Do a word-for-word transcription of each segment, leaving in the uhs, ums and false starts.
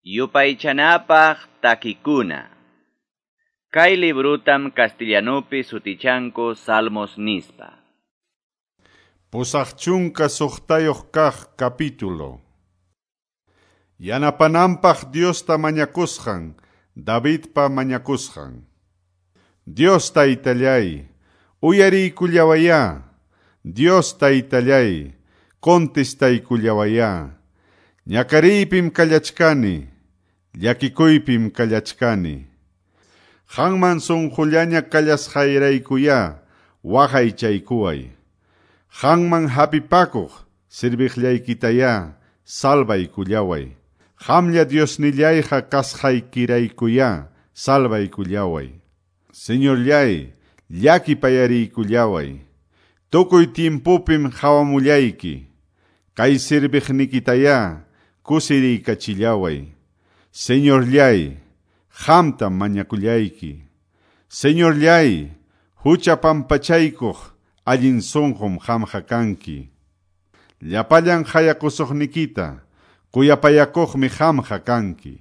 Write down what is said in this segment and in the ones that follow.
Yupaychanapaq takikuna. Kay librutam castellanupi sutichanku Salmos nispa. Pusaq chunka suqtayuq kaq capítulo. Yanapananpaq Diosta mañakusqan, Davidpa mañakusqan. Dios taytallay, uyariykullawayá. Dios taytallay, contestaykullawayá. Ñakariypim kallachkani, llakikuypim kallachkani. Qanman sunqullaña kallasqayraykuyá, waqaychaykuway. Qanman hapipakuq serviqllaykitayá, salvaykullaway. Qamlla Diosnillayqa kasqaykiraykuyá, salvaykullaway. Señorllay, llakipayariykullaway. Tukuy tiempopim qhawamullayki. Kay serviqnikitayá, kusiriykachillaway. Señorllay, qamtam mañakullayki. Señorllay, hucha pampachaykuq allin sunqum qamqa kanki. Llapallan hayakusuqnikita, kuyapayakuqmi qamqa kanki.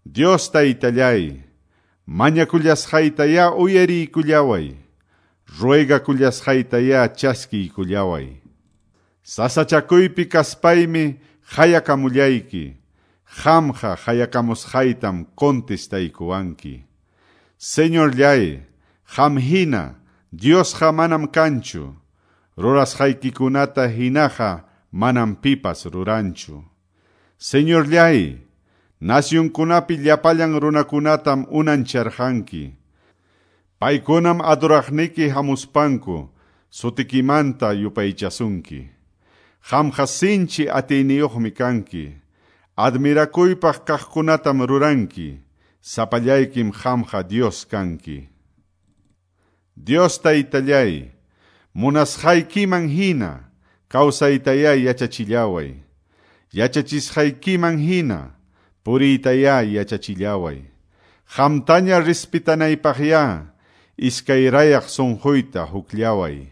Dios taytallay, mañakullasqaytayá uyariykullaway. Ruegakullasqaytayá chaskiykullaway. Sasachakuypi kaspaymi hayakamullayki. Qamqa hayakamusqaytam contestaykuwanki. Señorllay, qam hina, Diosqa manam kanchu. Rurasqaykikunata hinaqa manam pipas ruranchu. Señorllay, nasyunkunapi llapallan runakunatam unancharqanki. Paykunam adoraqniki hamuspanku, sutikimanta yupaychasunki. Qamqa sinchi atiyniyuqmi kanki. Admirakuypaq kaqkunatam ruranki. Sapallaykim qamqa Dios kanki. Dios taytallay, munasqaykiman hina, kawsaytayá yachachillaway. Yachachisqaykiman hina, puriytayá yachachillaway. Qamtaña respetanaypaqyá, iskayrayaq sunquyta hukllaway.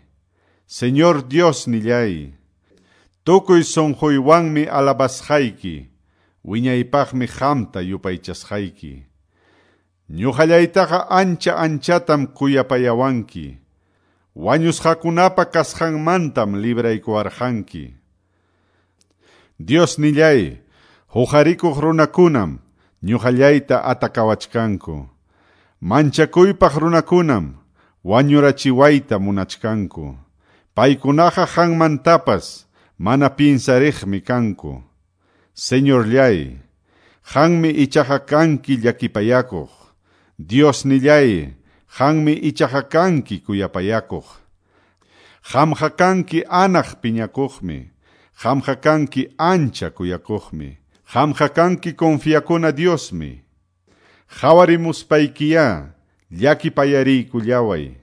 Señor Dios nillay, tukuy sunquywanmi alabasqayki, wiñaypaqmi qamta yupaychasqayki. Ñuqallaytaqa ancha anchatam kuyapayawanki. Wañusqakunapa kasqanmantam libraykuwarqanki. Dios nillay, huqarikuq runakunam ñuqallayta atakawachkanku. Manchakuypaq runakunam wañurachiwayta munachkanku. Paykunaqa qanmantapas mana pinsariqmi kanku. Señorllay, qanmi ichaqa kanki llakipayakuq. Dios nillay, qanmi ichaqa kanki kuyapayakuq. Qamqa kanki anaq piñakuqmi. Qamqa kanki ancha kuyakuqmi. Qamqa kanki confiakuna Diosmi. Qhawarimuspaykiyá, llakipayariykullaway.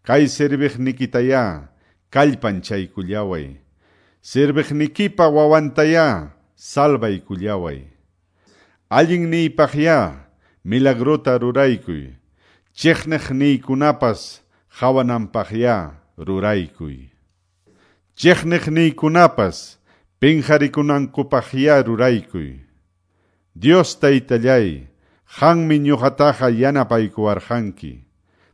Kay serviqnikitayá, kallpanchaykullaway. Serviqnikipa wawantayá, salvaykullaway. Allinniypaqyá, milagrota ruraykuy. Chiqniqniykunapas qhawananpaqyá ruraykuy. Chiqniqniykunapas pinqarikunankupaqyá ruraykuy. Dios taytallay, qanmi ñuqataqa yanapaykuwarqanki.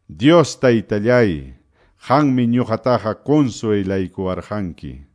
Dios taytallay, qanmi ñuqataqa consuelaykuwarqanki.